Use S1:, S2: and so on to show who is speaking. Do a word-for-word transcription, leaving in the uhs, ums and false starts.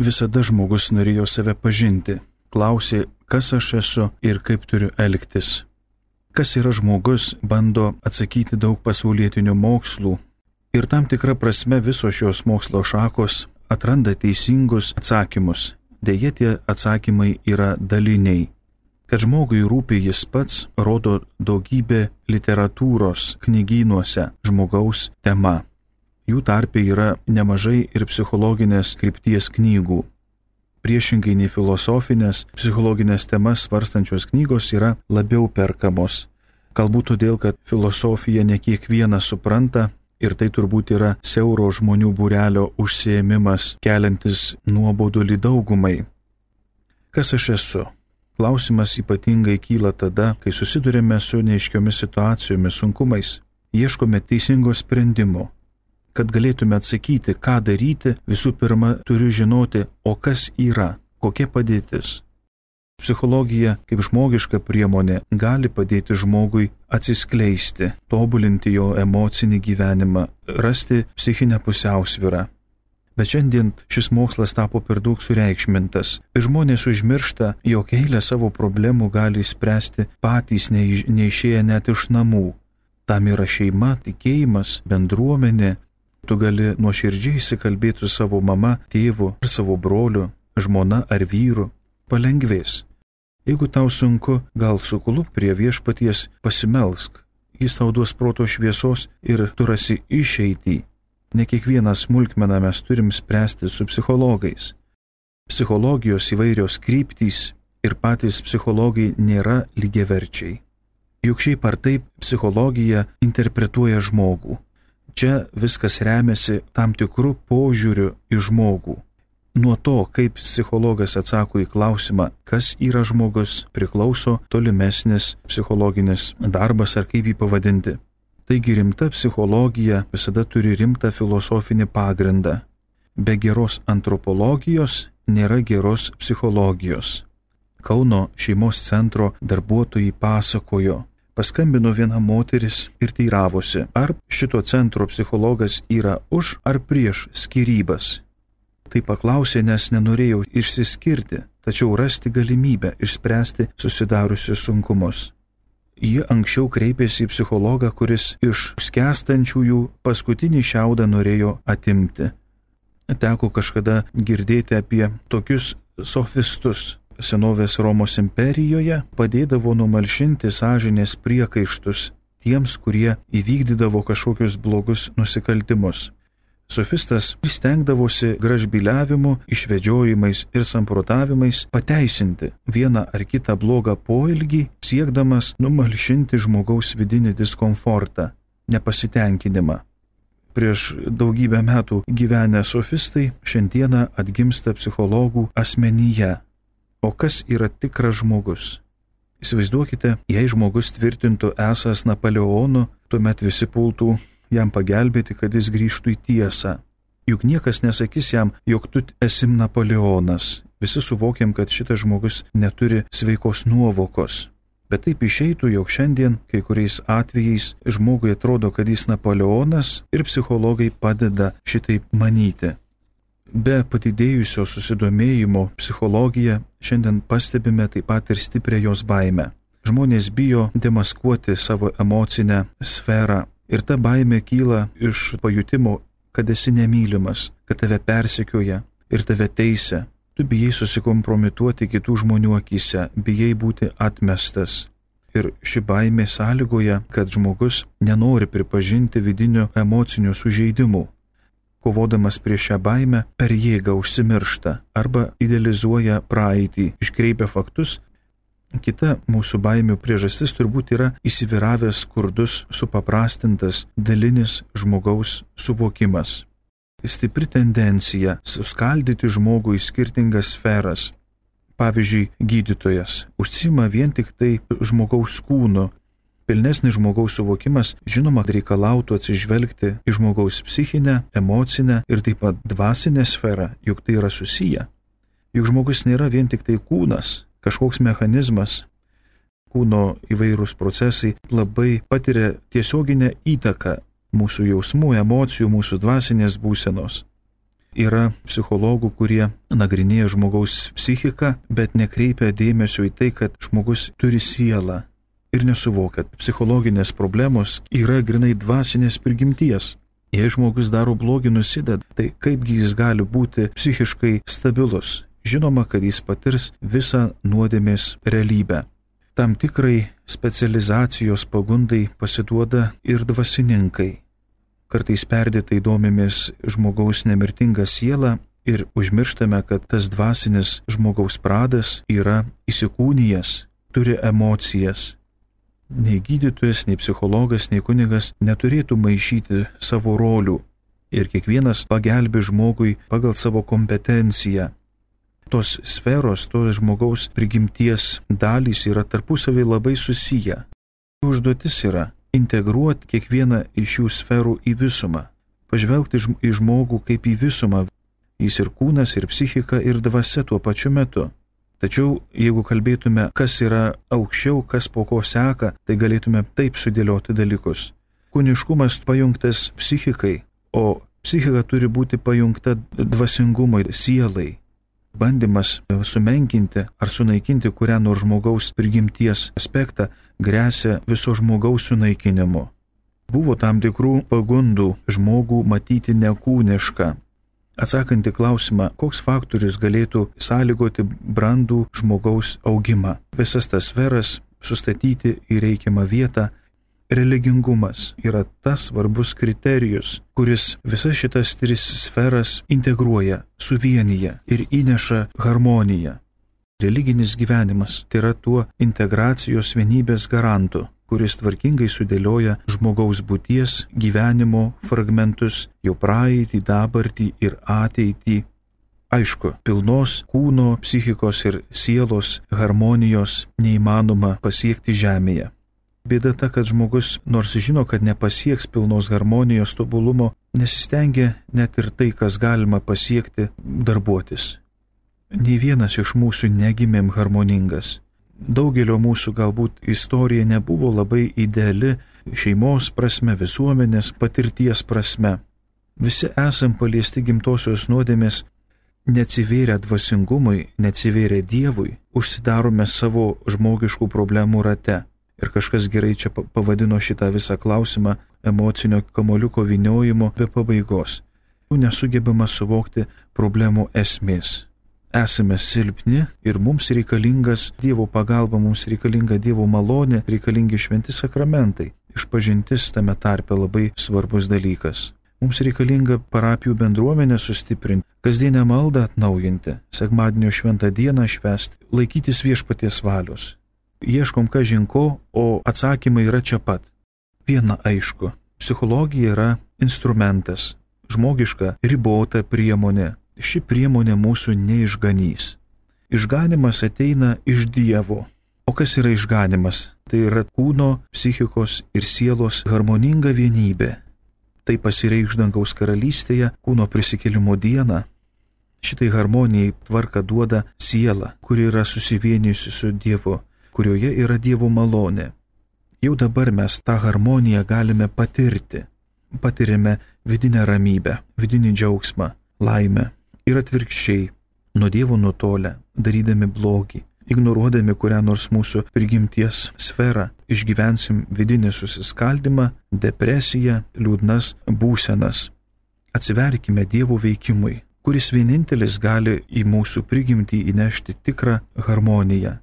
S1: visada žmogus norėjo save pažinti, klausė, kas aš esu ir kaip turiu elgtis. Kas yra žmogus, bando atsakyti daug pasaulietinių mokslų ir tam tikra prasme visos šios mokslo šakos atranda teisingus atsakymus. Deja, tie atsakymai yra daliniai. Kad žmogui rūpi jis pats, rodo daugybė literatūros knygynuose žmogaus tema. Jų tarpe yra nemažai ir psichologinės krypties knygų. Priešingai nei filosofinės, psichologinės temas svarstančios knygos yra labiau perkamos. Galbūt todėl, kad filosofija ne kiekvienas supranta ir tai turbūt yra siauro žmonių būrelio užsiėmimas, keliantis nuobodulį daugumai. Kas aš esu? Klausimas ypatingai kyla tada, kai susidurime su neaiškiomis situacijomis, sunkumais. Ieškome teisingo sprendimo. Kad galėtume atsakyti, ką daryti, visų pirma turiu žinoti, o kas yra, kokia padėtis. Psichologija kaip žmogiška priemonė gali padėti žmogui atsiskleisti, tobulinti jo emocinį gyvenimą, rasti psichinę pusiausvyrą. Bet šiandien šis mokslas tapo per daug sureikšmintas. Žmonės užmiršta, jog eilę savo problemų gali spręsti patys neiš, neišėję net iš namų. Tam yra šeima, tikėjimas, bendruomenė. Tu gali nuoširdžiai įsikalbėti su savo mama, tėvu ar savo broliu, žmona ar vyru. Palengvės. Jeigu tau sunku, gal suklūp prie viešpaties, pasimelsk. Jis tau duos proto šviesos ir tu rasi išeitį. Ne kiekvieną smulkmeną mes turim spręsti su psichologais. Psichologijos įvairios kryptys ir patys psichologai nėra lygiaverčiai. Juk šiaip ar taip psichologija interpretuoja žmogų. Čia viskas remiasi tam tikrų požiūrių į žmogų. Nuo to, kaip psichologas atsako į klausimą, kas yra žmogus, priklauso tolimesnis psichologinis darbas ar kaip jį pavadinti. Taigi rimta psichologija visada turi rimtą filosofinį pagrindą. Be geros antropologijos nėra geros psichologijos. Kauno šeimos centro darbuotojai pasakojo, paskambino viena moteris ir teiravosi, ar šito centro psichologas yra už ar prieš skyrybas. Tai paklausė, nes nenorėjau išsiskirti, tačiau rasti galimybę išspręsti susidariusius sunkumus. Ji anksčiau kreipėsi į psichologą, kuris iš skęstančiųjų paskutinį šiaudą norėjo atimti. Teko kažkada girdėti apie tokius sofistus. Senovės Romos imperijoje padėdavo numalšinti sąžinės priekaištus tiems, kurie įvykdydavo kažkokius blogus nusikaltimus. Sofistas stengdavosi gražbyliavimu, išvedžiojimais ir samprotavimais pateisinti vieną ar kitą blogą poelgį, siekdamas numalšinti žmogaus vidinį diskomfortą, nepasitenkinimą. Prieš daugybę metų gyvenę sofistai šiandieną atgimsta psichologų asmenyje. O kas yra tikras žmogus? Įsivaizduokite, jei žmogus tvirtintų esąs Napoleonu, tuomet visi pultų jam pagelbėti, kad jis grįžtų į tiesą. Juk niekas nesakys jam, jog tu esi Napoleonas. Visi suvokiam, kad šitas žmogus neturi sveikos nuovokos. Bet taip išeitų, jog šiandien kai kuriais atvejais žmogui atrodo, kad jis Napoleonas ir psichologai padeda šitaip manyti. Be padidėjusio susidomėjimo psichologija šiandien pastebime taip pat ir stiprią jos baimę. Žmonės bijo demaskuoti savo emocinę sferą. Ir ta baimė kyla iš pajutimo, kad esi nemylimas, kad tave persekioja ir tave teisia. Tu bijai susikompromituoti kitų žmonių akyse, bijai būti atmestas. Ir ši baimė sąlygoja, kad žmogus nenori pripažinti vidinių emocinių sužeidimų. Kovodamas prieš šią baimę, per jėgą užsimiršta arba idealizuoja praeitį, iškreipia faktus. Kita mūsų baimių priežastis turbūt yra įsivyravęs skurdus, supaprastintas, dalinis žmogaus suvokimas. Stipri tendencija suskaldyti žmogų į skirtingas sferas. Pavyzdžiui, gydytojas užsiima vien tik tai žmogaus kūnu. Pilnesnis žmogaus suvokimas, žinoma, reikalautų atsižvelgti į žmogaus psichinę, emocinę ir taip pat dvasinę sferą, juk tai yra susiję. Juk žmogus nėra vien tik tai kūnas, kažkoks mechanizmas, kūno įvairūs procesai labai patiria tiesioginę įtaką mūsų jausmų, emocijų, mūsų dvasinės būsenos. Yra psichologų, kurie nagrinėja žmogaus psichiką, bet nekreipia dėmesio į tai, kad žmogus turi sielą ir nesuvokia. Psichologinės problemos yra grinai dvasinės prigimties. Jei žmogus daro blogį, nusideda, tai kaipgi jis gali būti psichiškai stabilus? Žinoma, kad jis patirs visą nuodėmės realybę. Tam tikrai specializacijos pagundai pasiduoda ir dvasininkai. Kartais perdėtai domimės žmogaus nemirtinga siela ir užmirštame, kad tas dvasinis žmogaus pradas yra įsikūnijęs, turi emocijas. Nei gydytojas, nei psichologas, nei kunigas neturėtų maišyti savo rolių ir kiekvienas pagelbi žmogui pagal savo kompetenciją. Tos sferos, tos žmogaus prigimties dalys yra tarpusavį labai susiję. Užduotis yra integruoti kiekvieną iš šių sferų į visumą, pažvelgti į žmogų kaip į visumą. Jis ir kūnas, ir psichika, ir dvasia tuo pačiu metu. Tačiau, jeigu kalbėtume, kas yra aukščiau, kas po ko seka, tai galėtume taip sudėlioti dalykus. Kūniškumas pajungtas psichikai, o psichika turi būti pajungta dvasingumui, sielai. Bandymas sumenkinti ar sunaikinti kurią nors žmogaus prigimties aspektą gresia viso žmogaus sunaikinimu. Buvo tam tikrų pagundų žmogų matyti nekūnišką. Atsakant į klausimą, koks faktorius galėtų sąlygoti brandų žmogaus augimą, visas tas sferas sustatyti į reikiamą vietą, religingumas yra tas svarbus kriterijus, kuris visas šitas tris sferas integruoja, suvienyje ir įneša harmoniją. Religinis gyvenimas tai yra tuo integracijos vienybės garantu, kuris tvarkingai sudėlioja žmogaus būties gyvenimo fragmentus, jo praeitį, dabartį ir ateitį. Aišku, pilnos kūno, psichikos ir sielos harmonijos neįmanoma pasiekti žemėje. Bėda ta, kad žmogus, nors žino, kad nepasieks pilnos harmonijos tobulumo, nesistengia net ir tai, kas galima pasiekti, darbuotis. Nė vienas iš mūsų negimėm harmoningas. Daugelio mūsų galbūt istorija nebuvo labai ideali šeimos prasme, visuomenės patirties prasme. Visi esam paliesti gimtosios nuodėmės, neatsivėrę dvasingumui, neatsivėrę Dievui, užsidarome savo žmogiškų problemų rate. Ir kažkas gerai čia pavadino šitą visą klausimą emocinio kamuoliuko vyniojimo be pabaigos. Nesugebama suvokti problemų esmės. Esame silpni ir mums reikalingas Dievo pagalba, mums reikalinga Dievo malonė, reikalingi šventi sakramentai. Išpažintis tame tarpe labai svarbus dalykas. Mums reikalinga parapijų bendruomenę sustiprinti, kasdienę maldą atnaujinti, sekmadienio šventą dieną švęsti, laikytis viešpaties valios. Ieškom kažin ko, o atsakymai yra čia pat. Viena aišku, psichologija yra instrumentas, žmogiška ribota priemonė. Ši priemonė mūsų neišganys. Išganimas ateina iš Dievo. O kas yra išganimas? Tai yra kūno, psichikos ir sielos harmoninga vienybė. Tai pasireikš dangaus karalystėje, kūno prisikėlimo dieną. Šitai harmonijai tvarką duoda siela, kuri yra susivienijusi su Dievu, kurioje yra Dievo malonė. Jau dabar mes tą harmoniją galime patirti. Patirime vidinę ramybę, vidinį džiaugsmą, laimę. Ir atvirkščiai, nuo Dievo nutolę, darydami blogį, ignoruodami kurią nors mūsų prigimties sferą, išgyvensim vidinį susiskaldimą, depresiją, liūdnas būsenas. Atsiverkime Dievo veikimui, kuris vienintelis gali į mūsų prigimtį įnešti tikrą harmoniją.